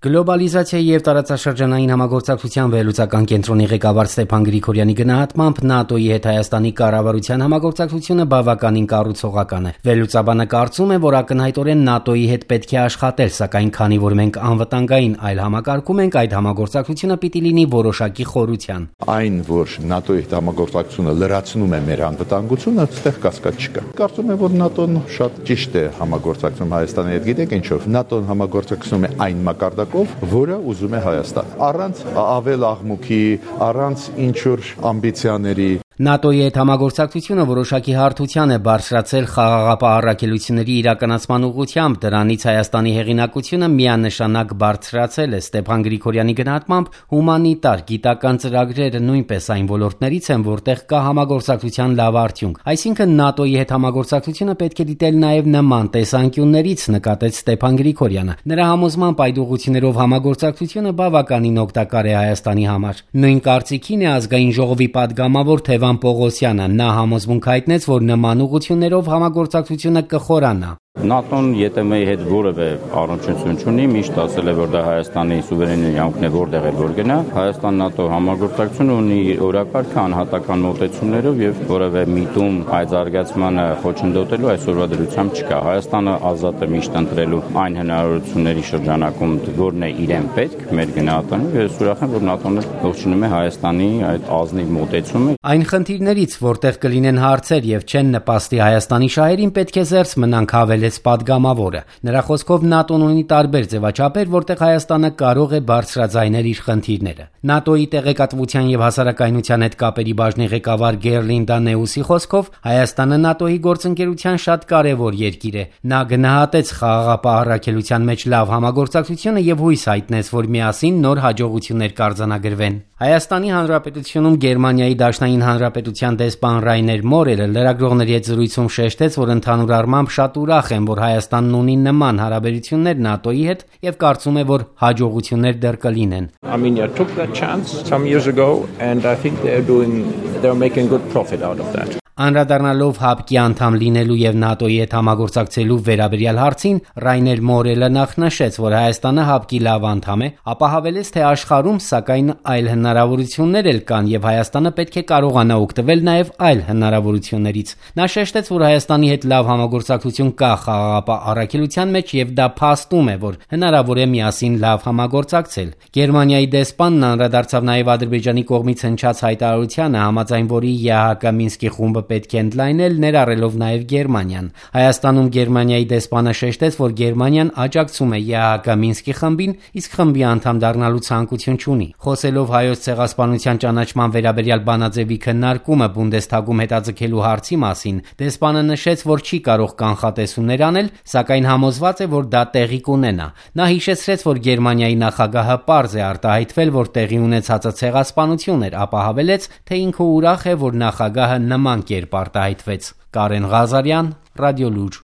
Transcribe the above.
Գլոբալիզացիայի և տարածաշրջանային համագործակցության վերլուծական կենտրոնի ղեկավար Ստեփան Գրիգորյանի գնահատմամբ ՆԱՏՕ-ի հետ Հայաստանի կառավարության համագործակցությունը բավականին կառուցողական է։ Վերլուծաբանը կարծում է, որ ակնհայտորեն ՆԱՏՕ-ի հետ պետք է աշխատել, սակայն քանի որ մենք անվտանգային այլ համակարգում ենք, այդ համագործակցությունը պիտի լինի որոշակի խորության։ Այն, որ ՆԱՏՕ-ի հետ համագործակցությունը լրացնում է մեր անվտանգությունը, այստեղ կասկած չկա։ Կարծում եմ, որ ՆԱՏՕ-ն շատ ճիշտ է համագործակցում Հայաստանի հետ, գիտեք ինչով, ՆԱՏՕ-ն համագործակցում է այն մակարդակով, որը ուզում է Հայաստան, առանց ավել աղմուկի, առանց ինչ-որ ամբիցիաների։ ՆԱՏՕ-ի հետ համագործակցությունը որոշակի հարթության է բարձրացել խաղաղապահ առաքելությունների իրականացման ուղղությամբ, դրանից Հայաստանի հեղինակությունը միանշանակ բարձրացել է։ Ստեփան Գրիգորյանի գնահատմամբ հումանիտար, գիտական ծրագրերը նույնպես այն ոլորտներից են, որտեղ կա համագործակցության լավ արդյունք։ Այսինքն ՆԱՏՕ-ի հետ համագործակցությունը պետք է դիտել նաև նման տեսանկյուններից, նկատեց Ստեփան Գրիգորյանը։ Նրա համոզմամբ այդ ուղղություններով համագործակցությունը բավականին օգտակար է Հայաստանի համար։ Նույն կարծիքին է Ազգային ժողովի պատգամավոր Թևան Պողոսյանը։ Նա համոզմունք հայտնեց, որ նման ուղղություններով համագործակցությունը կխորանա։ ՆԱՏՕ-ն ԵՏՄ-ի հետ որևէ առնչություն չունի, միշտ ասել է, որ դա Հայաստանի սուվերեն իրավունքն է, որտեղ էլ որ գնա։ Հայաստան-ՆԱՏՕ համագործակցությունը ունի օրակարգ անհատական մոտեցումներով եւ որևէ միտում այդ զարգացմանը խոչընդոտելու այսօրվա դրությամբ չկա։ Հայաստանը ազատ է միշտ ընտրելու այն հնարավորությունների շրջանակում, որն է իրեն պետք մեր գնահատանով, եւ ուրախ եմ, որ ՆԱՏՕ-ն ողջունում է Հայաստանի այդ ազնիվ մոտեցումը։ Այն խնդիրներից, որտեղ կլինեն հարցեր եւ չեն նպաստի Հայաստանի շահերին, պետք է զերծ մնանք հավելեց պատգամավորը։ Նրա խոսքով ՆԱՏՕ-ն ունի տարբեր ձևաչափեր, որտեղ Հայաստանը կարող է բարձրաձայնել իր խնդիրները։ ՆԱՏՕ-ի տեղեկատվության եւ հասարակայնության հետ կապերի բաժնի ղեկավար Գերլինդա Նեուսի խոսքով Հայաստանը ՆԱՏՕ-ի գործընկերության շատ կարեւոր երկիր է։ Նա գնահատեց խաղաղապահ առաքելության մեջ լավ համագործակցությունը եւ հույս հայտնեց, որ միասին նոր հաջողություններ կարձանագրվեն։ Հայաստանի Հանրապետությունում Գերմանիայի Դաշնային Հանրապետության դեսպան Ռայներ Մորելը լրագրողների հետ զրույցում շեշտեց, որ ընդհանուր առմամբ շատ ուրախ են, որ Հայաստանն ունի նման հարաբերություններ ՆԱՏՕ-ի հետ եւ կարծում է, որ հաջողություններ դեռ կլինեն։ Armenia took that chance some years ago and I think they're making good profit out of that. Անդրադառնալով ՀԱՊԿ-ի անդամ լինելու եւ ՆԱՏՕ-ի հետ համագործակցելու վերաբերյալ հարցին Ռայներ Մորելը նախ նշեց, որ Հայաստանը ՀԱՊԿ-ի լավ անդամ է, ապա հավելեց, թե աշխարհում սակայն այլ հնարավորություններ էլ կան եւ Հայաստանը պետք է կարողանա օգտվել նաեւ այլ հնարավորություններից։ Նա շեշտեց, որ Հայաստանի հետ լավ համագործակցություն կա խաղաղապահ առաքելության մեջ եւ դա փաստում է, որ հնարավոր է միասին լավ համագործակցել։ Գերմանիայի դեսպանն անդրադարձավ նաեւ Ադրբեջանի կողմից հնչած հայտարարությանը, համաձայն որի ԵԱՀԿ Մինսկի խումբը պետք է ընդլայնել, ներառելով նաև Գերմանիան։ Հայաստանում Գերմանիայի դեսպանը շեշտեց, որ Գերմանիան աջակցում է ԵԱՀԿ Մինսկի խմբին, իսկ խմբի անդամ դառնալու ցանկություն չունի։ Խոսելով Հայոց ցեղասպանության ճանաչման վերաբերյալ բանաձևի քննարկումը Բունդեսթագում հետաձգելու հարցի մասին, դեսպանը նշեց, որ չի կարող կանխատեսումներ անել, սակայն համոզված է, որ դա տեղի կունենա։ Նա հիշեցրեց, որ Գերմանիայի նախագահը պարզ է արտահայտվել, որ տեղի ունեցածը ցեղասպանություն էր, ապա հավելեց, թե ինքը ուրախ է, որ նախագահը նման կերպ արտահայտվեց։ Կարեն Ղազարյան, Ռադիոլուր։